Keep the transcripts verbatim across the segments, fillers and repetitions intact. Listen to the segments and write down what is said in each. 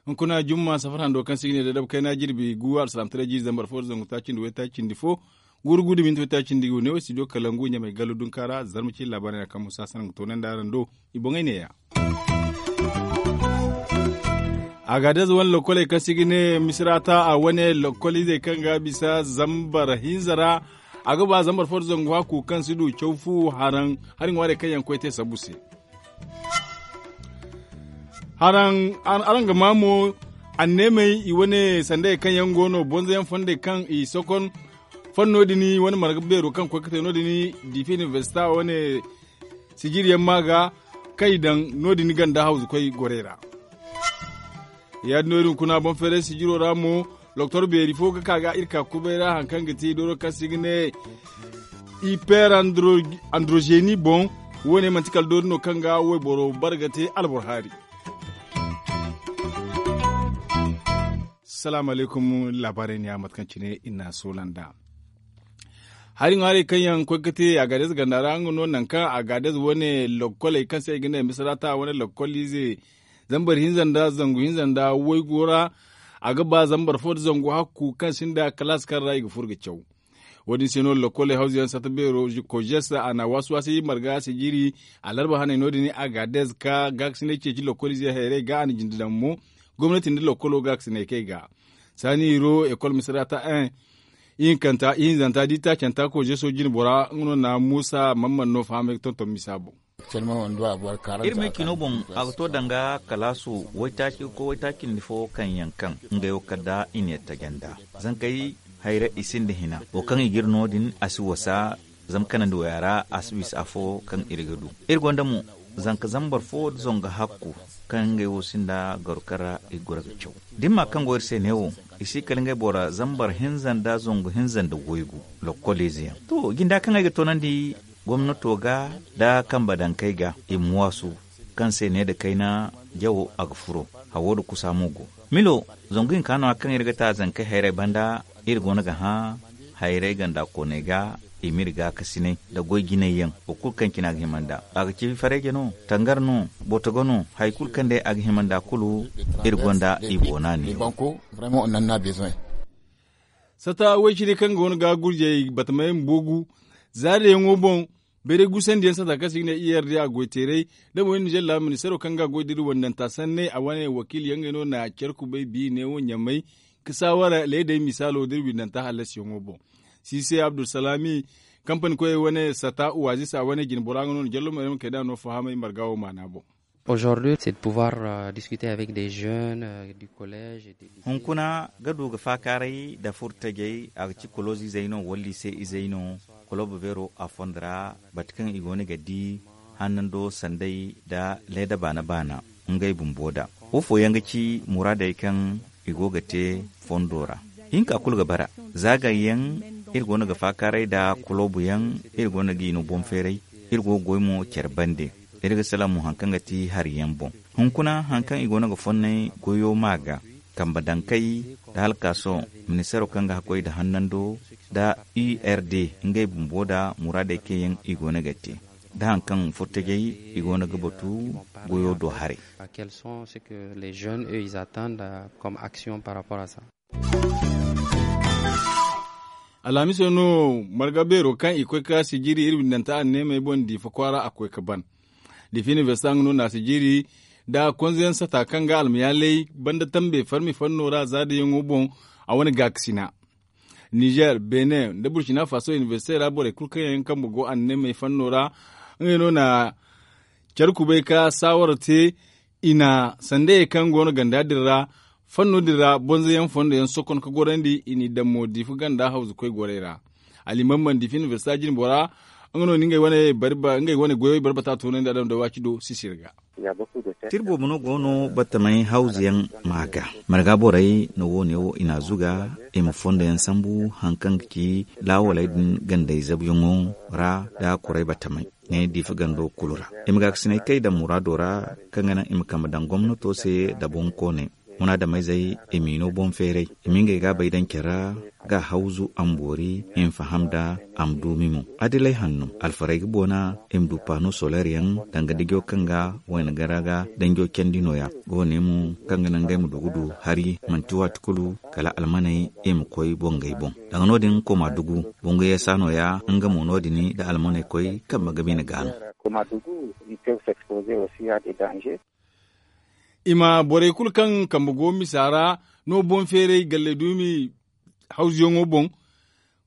Hunkuna jumma safar hando kaŋ se i ga ne da daba kayna jirbi gu alsalaamataray jiiri zambar fo da zangu taaci nda waytaaci nda fo, guuru gu da minti waytaaci nda gu ne wo studio kalangu ɲamay gallu dunka ra zarma ciine laabaarey no kaŋ musa sanaŋ ga toonandi araŋ do. I boŋey neeya. Agaadez wane lokkoley kaŋ se i ga ne misirata a wane lokkol izey kaŋ ga bisa zambar hinza ra. A ga ba zambar fo da zangu hakku kaŋ si du caw fu haraŋ hari ŋwaarey kaŋ yaŋ koy te sabu se. Haraŋ araŋ ga maa mo anneemey i wane sandey kaŋ yaŋ go no bonzoyaŋ fondey kaŋ i sokon fanno din wane marga beero kaŋ koy ga te no- din diifi inibersita wane sijiriyaŋ ma ga kaŋ i daŋ no- din ganda hawzukoy gorey ra. Ya- din no iri hunkuna boŋ feeray sijiro ra mo. Doktor beeri fo ga ka ga iri ka kubay ra hari kaŋ ga ti dooro kaŋ se i ga ne iper androgeni boŋ. Wo- ne manti kala doori no kaŋ ga wayboro bare ga te alboro haari. Salaamu alaykum. Laabaarey ne ya mate kaŋ cine i na a soola nd'a. Hari ŋwaarey kaŋ yaŋ koy ga te agaadez ganda ra nga no nangu kaŋ agaadez wane lokkoley kaŋ se i ga ne misirata wane lokkol ize zambar hinza nda zangu hinza nda waygu ra. A ga ba zambar fo nda zangu hakku kaŋ sinda kalaas kaŋ ra i ga furo ga caw. Wo- din se no lokkoley hawzuyaŋ sata beero kojes a na waasi waasi marga sijiri alarba haney no- din agaadez ka gaakasinay ceeci lokkol izey hayrey ga a na jinde daŋ mo gomnati nda lokkolo gaakasinay kay ga saani iro ekol misirata en ihinkanta ihinzanta da i taacanta kojeso jine bora nga no na muusa man man no fahamay ga tonton misa boŋ. Iri me cino boŋ a ga to danga kalaasu waytaaci ga koy waytaaci nda fo kaŋ yaŋ kaŋ ngey wo kala da i ne taje nda zankey hayra i sinda hina wo kaŋ i ga iri no- din a si wasa. Zama kanandi waya ra a si bisa afo kaŋ iri ga du iri gonda mo zanka zambar fo nda zonga hakku kaŋ ngey wo sinda garu kaŋ ra i ga goro ga caw da ni ma kaŋ go iri se neewo i si kala ngey bora zambar hinza nda zongu hinza nda waygu lokkol ize yaŋ to jinda kaŋ ay ga toonandi gomnato ga nda kambe dankey ga i ma waasu kaŋ se ne nda kayna jawo a ga furo hawo nda kusa mo go milo zangu hinka no- ya kaŋ iri ga ta zankey hayray banda iri go no ga hã hayray ganda kooney ga i m'iri gaakasinay nda goy jinay yaŋ wo kulu kaŋ cine a ga hima nd'a a ga ci fareeje no tangar no botogo no hari kulu kaŋ day a ga hima nd'a kulu iri gonda i boona ne. Sata way-cine kaŋ go no ga gurjey batamey ma boogu zaariyaŋo boŋ bayray guusandiyaŋ sata kaŋ se i ga ne i r d a goy teeray da mo iri nizer laabu ministeero kaŋ ga goy da iri wandanta sanney a wane wakiili yaŋ ngey no na care kubay bi neewo ɲamay ka saawara leedey misaalo da iri windanta hallasiyaŋo boŋ. Siise abdulsalami kampani koyey wane sata uwaazisa wane jinbora nga no na jallo ma iri ma kay da no fahamay marga wo maana boŋ. Aujourd'hui c'est de pouvoir discuter avec des jeunes du collège et des lycées. Hunkuna ga du ga faakaaray nda furtajey a ga ci koloozizey no wala liise izey no kolobo beero a fondo ra bate kaŋ i go no ga di hannando sanday nda leeda baana baana ngey bumbo da wo fooyaŋ ga ci muraadey kaŋ i go ga te fondo ra hinka kulu ga bara zaagayyaŋ iri go no ga faakaaray nda koloboyaŋ iri go no ga i no boŋ feeray iri go ga goy mo care bande iri ga salaŋ mo hari kaŋ ga ti hariyaŋ boŋ hunkuna hari kaŋ i go no ga fonnay goyo ma ga kambe dankey nda halkaaso ministeero kaŋ ga hakkoy nda hannando nda u r d ngey bumbo nda muraadey kaŋ yaŋ i go no ga te nda hari kaŋ furtajey i go no ga batu goyo do haray. Quels sont ce que les jeunes eux ils attendent comme action par rapport à ça? Alhamiso no marga beero kaŋ i koy ka sijiri iri windanta anneemey boŋ diifa kwaara a koy ka ban diifa inibersita nga no na sijiri nda konzeyaŋ sata kaŋ ga almayaaley banda tambe farmi fanno ra zaadayaŋo boŋ a wane gaakasina nizer benin nda burkina faso inibersite ra borey kulu kaŋ yaŋ kambe go anneemey fanno ra ngey no na care kubay ka saawara te i na sandayey kaŋ go no ganda din ra fanno din ra bonzoyaŋ fondo yaŋ sokon ka gorandi i n'i daŋ mo diifa ganda hawzukoy gorey ra. Alimamman diifa inibersita jinbora nga no na ngey wane goyey barbata toonandi adama da waaci do sisir ga. Tira boobo no go no batamey hawzuyaŋ ma ga marga borey no wo- ne wo i n'a zuga i ma fondo yaŋ sambu hari kaŋ ga ci laawaley din gandey zabuyaŋo ra nda kuray batamey ne diifa gando kulu ra i ma gaakasinay kay daŋ muraado ra kaŋ ga naŋ i ma kambe daŋ gomnato se nda boŋkooney Munaadameyzey i m'i no boŋ feeray, i ma ngey gaabey daŋ care ra, ga hawzu a ma boori, i ma faham nd'a, a ma duumi mo. Adiley hanno, alfarey ga boona, i ma du paano soleer yaŋ danga dijo kaŋ ga wayna gara ga danjo candi nooya. Woone mo kaŋ ga naŋ ngey ma du ga du hari, manti waati kulu kala almaney i ma koy bongey boŋ. Danga no-din koma dugu, bongo yeesa nooya, nga mo no-din da almaney koy kambe ga bine ga no. I ma borey kulu kaŋ kambe go misa ra no boŋ feeray galley duumi hawzuyaŋo boŋ.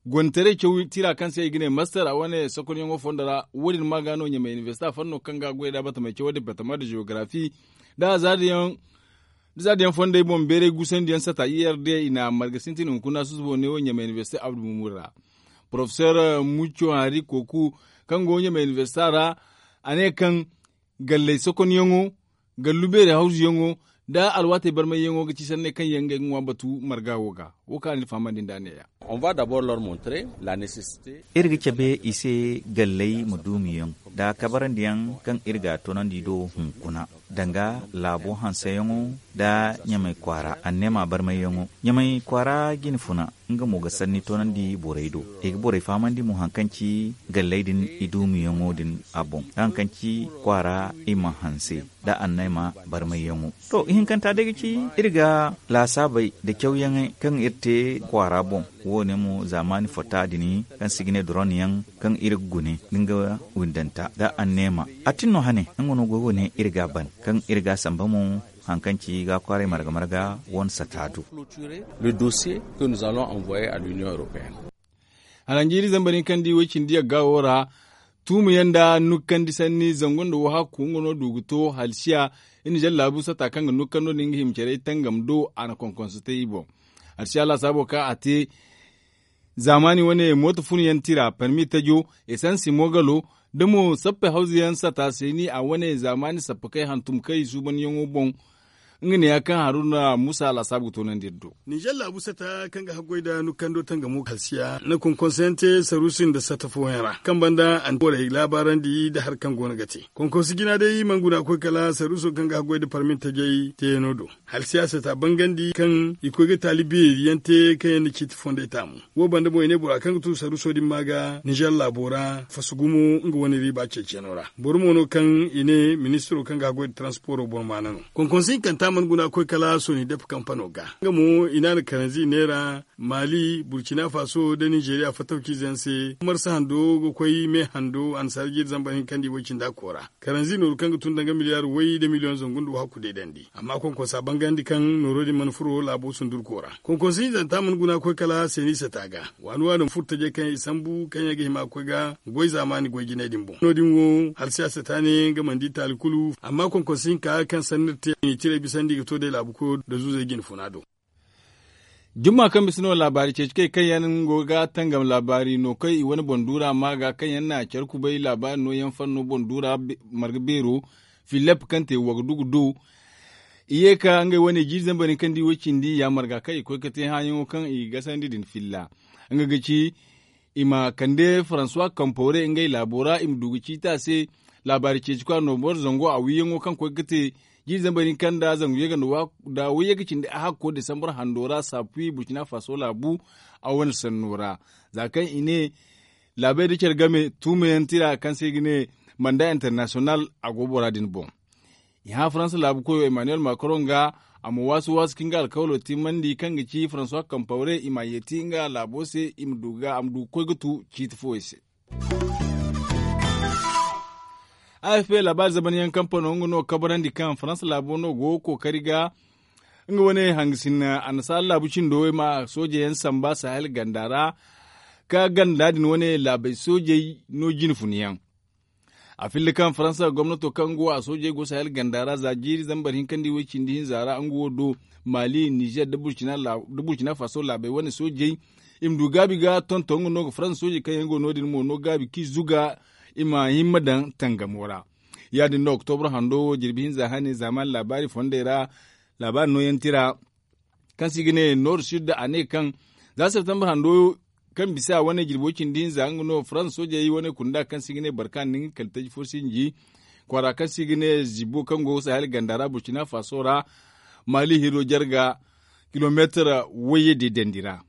Gontaray caw tira kaŋ se i ga ne master a wane sokonyaŋo fondo ra. Wo- din ma ga no ɲamay inibersita fanno kaŋ ga goy da batamey cawo departement de geografi da zaadiyaŋ fondey boŋ beeray guusandiyaŋ sata i r d i na marga sintin hunkuna susubo ne wo ɲamay inibersita abdu mumur ra. Porofesor mucco hari koku kaŋ go ɲamay inibersita ra, a ne kaŋ galley sokonyaŋo, gallu beeri hawzuyaŋo, nda alwaatey barmayyaŋo ga ci sanney kaŋ yaŋ ngey ga ŋwa batu marga wo ga. Wo kaŋ a na iri fahamandi nd'a neeya. Iri ga cabe i se galley ma duumiyaŋ nda kabarandiyaŋ kaŋ iri ga a toonandi do hunkuna, danga laabo hanseyaŋo nda ɲamay kwaara anneema barmayyaŋo. Ɲamay kwaara jine funa, nga mo ga sanni toonandi borey do. I ga borey fahamandi mo haŋ kaŋ ci galley din i duumiyaŋo din a boŋ da haŋ kaŋ ci kwaara i ma hanse nda anneema barmayyaŋo. To, ihinkanta day ga ci iri ga laasaabey nda cawyaŋey kaŋ iri te kwaara boŋ. Wo- ne mo zaamaani fota din kaŋ se i ga ne doronyaŋ, kaŋ iri ga gune nga windanta nda anneema. A tin no hane nga no goy wo- ne iri ga a ban kaŋ iri ga a samba mo haŋ kaŋ ci ga kwaaray marga-marga wane sata do. Haranjiiri zambar hinka nda i way cindi yagga wo ra, tuumu yaŋ nda nukkandi sanni zangu nda wahakku nga no du ga to halsiya. Iri na zallaabu sata kaŋ ga nukkando din ga hima care tangam do a na konkonso te i boŋ. Halsiya laasaabo kaŋ a te zaamaani wane mooto fun yaŋ tira parmi tajo, esansi moogalo, da mo sappe hawzu yaŋ sata seeni a wane zaamaani sappakey hantum kaŋ i suubanyaŋo boŋ. Nga ne ya kaŋ haruna muusa laasaabu ga toonandi iri do. Ninzeer laabu sata kaŋ ga haggoy nda nukkando tangamo halsiya na konkonso yaŋ te saruusi nda sata fooyaŋ ra kaŋ banda a na borey laabaarandi nda hari kaŋ go no ga te. Konkonso jina day mana guna koy kala saruuso kaŋ ga haggoy nda parmi tajey teeyaŋo do. Halsiya sata bangandi kaŋ i koy ga taali beeri yaŋ te kaŋ yaŋ na ciiti fondey taamu. Wo banda mo i ne bora kaŋ ga tun saruuso din ma ga ninzeer laabo ra faso gumo nga wane riiba ceeciyaŋo ra. Boro mo no kaŋ i ne ministiro kaŋ ga haggoy nda taransiporo boro maana no. Konkonso hinkanta mana guna koy kala soni dep kampano ga nga mo i ne a na karanzi neera, maali burkina faso nda ninzeeriya fattawciize yaŋ se. Marsa hando ga koy me hando annasaara jiiri zambar hinka nda i way cindi a koora. Karanzi nooru kaŋ ga tun danga miliyaar way nda miliyoŋ zangu nda wahakku deedandi amma konkonsa bangandi kaŋ nooro din mana furo laabo sundurko ra. Konkonsa hinzanta mana guna koy kala seeni sata ga. Waani waani ma furo tajey kaŋ i sambu kaŋ yaŋ ga hima ga koy ga goy zaamaani goy jinay din boŋ no- din wo halsiya sata ne nga mana di taali kulu amma konkonsa hinka kaŋ sanni iri te i na i tirey bisandi ga to day laabu koyo nda zuuzey jine funa do. Jumma kaŋ bisa no laabaari ceeci kay kaŋ yaŋ go ga tangam laabaari no kaŋ i wane boŋ duura ma ga kaŋ yaŋ na care kubay laabaari nooyaŋ fanno boŋ duura marga beero, filep kaŋ te wagadu ga du. I ye ka ngey wane jiiri zambar hinka nda i way cindi ya marga kaŋ i koy ga te hããyaŋo kaŋ i ga gasandi din filla. Nga ga ci i ma kande faransuwa kampawre ngey laabo ra i ma du ga ciiti a se. Laabaari ceeci kwa noobor zango a wiiyaŋo kaŋ koy ga te jiiri zambar hinka nda zangu yagga nda wayye ga cindi a hakko desambar hando ra saafi burkina faso laabu a wane sanno ra. Za kaŋ i ne laabey nda care game tuumayaŋ tira kaŋ se i ga ne manda internasiyonal a go bora din boŋ. I hã faransa laabu koyo emmanuel macron ga a ma waasu waasu ka nga alkawalo timmandi kaŋ ga ci faransuwa kampawre i ma a yeeti nga laabo se i ma du ga a ma du ga koy ga tu ciiti fooyaŋ se. A f p laabaari zamanyaŋ kampano nga no ga kabarandi kaŋ faransa laabo no go ga kookari ga nga wane hangasin annasaara laabu cindo i ma soojeyaŋ samba sahel ganda ra ka ganda din wane laabey soojey no jine funyaŋ. A filla kaŋ faransa gomnato kaŋ go a soojey go sahel ganda ra za jiiri zambar hinka nda i way cindi hinza ra nga wo do mali nizer nda burkina faso laabey wane soojey i ma du gaabi ga tonton nga no ga faransa soojey kaŋ yaŋ go no- din mo no gaabi kaŋ i zuga i ma himma daŋ tangamo ra. Ya- din no oktobra hando wo jirbi hinza hane zaamaani laabaari fondey ra laabaari nooyaŋ tira kaŋ se i ga ne nord sud a ne kaŋ za septembre hando kaŋ bisa wane jirbo cindi hinza nga no faransa soojey wane kunda kaŋ se i ga ne barkan nda nga kala taji fo sinji kwaara kaŋ se i ga ne zibo kaŋ go sahel ganda ra burkina faso ra. maali hiro jarga kilomeetar wayye de dandi ra.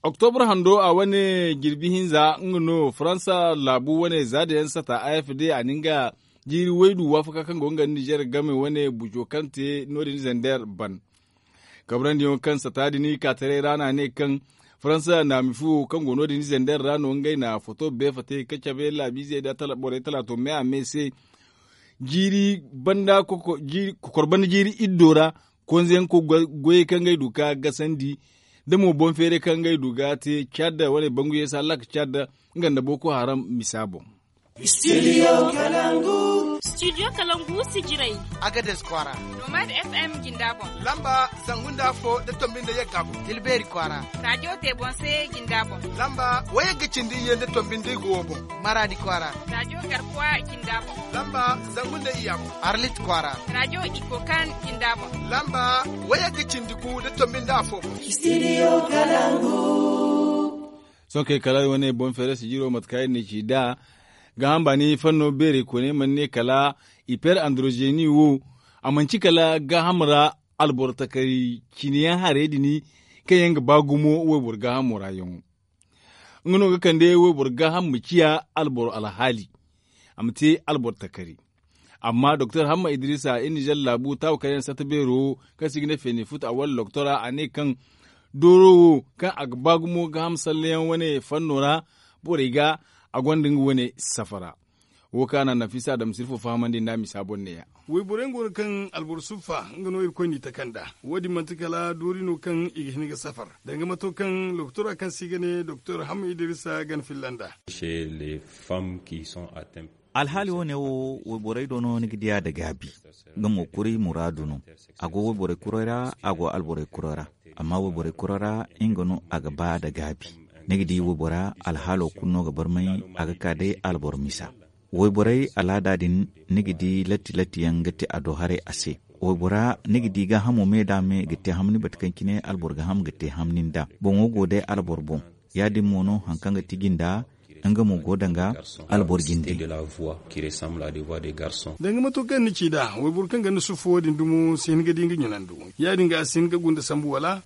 Oktobar hando a wane jirbi hinza nga no faransa laabu wane zaada yaŋ sata a f d a na nga jiiri waydu waafaka kaŋ go nga nda nizer game wane bujo kaŋ te no- din zander ban. Kabrandi yaŋo kaŋ sata din kaataray ra no a ne kaŋ faransa naami fu wo kaŋ go no- din zander ra no ngey na foto beefate ka cabe laabiizey nda borey talaato me a me se. Jiiri banda kokor banda jiiri iddo ra konze yaŋ goyey kaŋ ngey du ka gasandi da mo boŋ feeray kaŋ ngey du ga te cad wane bangu yeesa lak cad nga nda boko haram misa boŋ. Studio kalangu sijirey. Agades kwaara. Nomad f m jinda boŋ. Lamba zangu nda afo da tombi nda yagga boŋ. Tilbeeri kwaara. Rajo te boŋ se jinda boŋ. Lamba wayagga cindi iyye nda tombi nda igo wo boŋ. Maradi kwaara. Rajo garkuwa jinda boŋ. Lamba zangu nda iyya boŋ. Arlit kwaara. Rajo iko kan jinda boŋ. Lamba wayagga cindi gu da tombi nda afo boŋ. Studio kalangu. Sohõ kay kala wane boŋ feere sijiro mate kaŋ iri na ci nd'a. Gaaham baani fanno beerey kooney mana ne kala iper androzeni wo a manci kala gaaham ra alboro takari cine yaŋ harey din kaŋ yaŋ ga ba gumo wayboro gaahamo ra yaŋo. Nga no ga kande wayboro gaaham ma ciya alboro alhaali a ma te alboro takari. Amma doktor hamma idrisa iri nizer laabu taawa kaŋ yaŋ sata beero kaŋ se i ga ne feeni futa a wala doktora a ne kaŋ dooro wo kaŋ a ga ba gumo gaaham sallayaŋ wane fanno ra borey ga a gonda nga wane safara. Wo kaŋ a na nafisa adama sirfo fahamandi nd'a misa boŋ neeya. Wayborey go no kaŋ alboro suffa nga no irkoy n'i taka nd'a. Wo- din manti kala doori no kaŋ i ga hin ga safar danga mato kaŋ doktora kaŋ se i ga ne doktor hamma idrisa ga ni filla nd'a. Alhaali wo- ne wo wayborey do no ni ga diya nda gaabi. Nga mo kuri muraadu no. A go wayborey kurey ra a go alborey kurey ra. Amma wayborey kurey ra nga no a ga ba nda gaabi. Ni ga di waybora alhaalo kulu no ga barmay a ga ka day alboro misa. Wayborey alaada din ni ga di latti latti yaŋ ga te a do haray a se. Waybora ni ga di gaahamo me nd'a me ga te hamni bate kaŋ cine alboro gaaham ga te hamni nd'a boŋo go day alboro boŋ. Ya- din mo no hari kaŋ ga ti jinda nga mo go danga alboro jinde. Danga mato kaŋ ni ci nd'a wayboro kaŋ ga ni suffu wo- din dumo si hin ga di nga ɲunandu. Ya- din ga a si hin ga gunda sambu wala?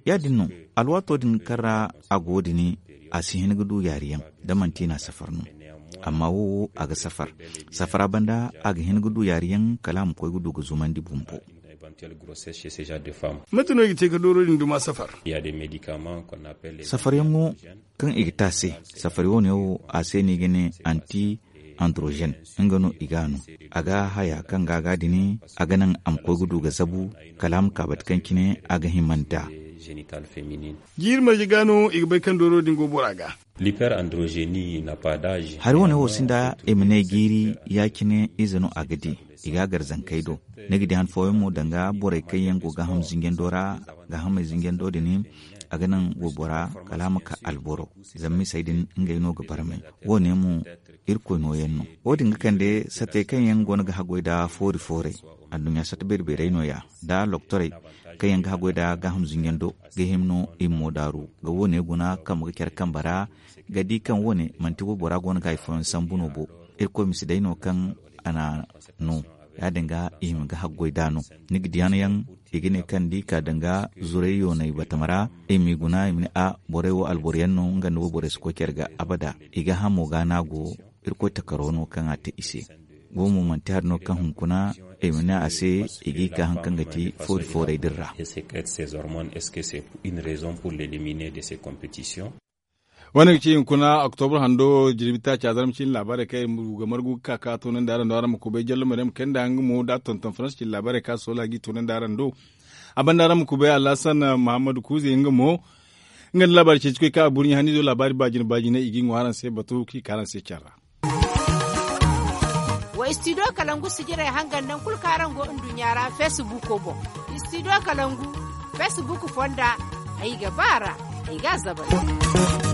Ya- din no alwaato din kaŋ ra a go din a si hin ga du yaari yaŋ da manti i na a safar no. Amma wo wo a ga safar. Safara banda a ga hin ga du yaari yaŋ kala a ma koy ga du ga zumandi bumbo. Mate no i ga te ga dooro din duma safar? Safar yaŋo kaŋ i ga te a se. Safari wo- ne wo a se no i ga ne anti androgen. Nga no i ga a no a ga haya kaŋ ga a ga dini a ga naŋ a ma koy ga du ga zabu kala a ma ka bate kaŋ cine a ga hima nd'a. Jiiri marje ga no i ga bay kaŋ dooro din go bora ga. Hari wo- ne wo sinda i ma ne jiiri ya- cine ize no a ga di. I ga a gar zankey do. Ni ga di han fooyaŋ mo danga borey kaŋ yaŋ go gaaham zinjando ra. Gaahamey zinjando din a ga naŋ waybora kala a ma ka alboro. Zama misey din ngey no ga barmay. Wo- ne mo irkoy nooyaŋ no. Wo- din ga kande satey kaŋ yaŋ go no ga haggoy nda foori fooray. Anduɲɲa sata beeri beerey nooya nda loktorey kaŋ yaŋ ga haggoy nda gaaham zinjando ga hima no i ma mo daaru ga wo- ne guna kambe ga care kambe ra. Ga di kaŋ wo- ne manti waybora go no ga hari fooyaŋ sambu no bo. Irkoy ma si day no kaŋ a na no. Ya- din ga i hima ga haggoy nd'a no. Ni ga di hanayaŋ i ga ne kaŋ da i ka danga zuray yoonay batama ra i m'i guna i ma ne a borey wo alboro yaŋ no nga nda wayborey si koy care ga abada. I ga hamo ga no a go. Irkoy takaro no kaŋ a te i se. Wo mo manti hari no kaŋ hunkuna i ma ne a se i g'i ka hari kaŋ ga ti foori fooray din ra. Wane ga ci hunkuna oktobar hando jirbi taaca zarma cine laabaarey kaŋ iri ga margu ga ka ka toonandi araŋ do araŋ ma kubay jallo maryam kayna nda nga mo da tonton faransa cine laabaarey kaŋ a soola g'i toonandi araŋ do. A banda araŋ ma kubay alhasan mahammadu kuuze nga mo nga nda laabaari ceeci koy kaŋ a burɲi haniizo laabaari baajine baajine i g'i ŋwa araŋ se batu kaŋ i ka araŋ se care ra. Wa studio kalangu sijirey hangan nangu kulu kaŋ araŋ go nduɲɲa ra feesibuuko boŋ. Studio kalangu feesibuuko fonda ay ga ba a ra ay ga a zabari.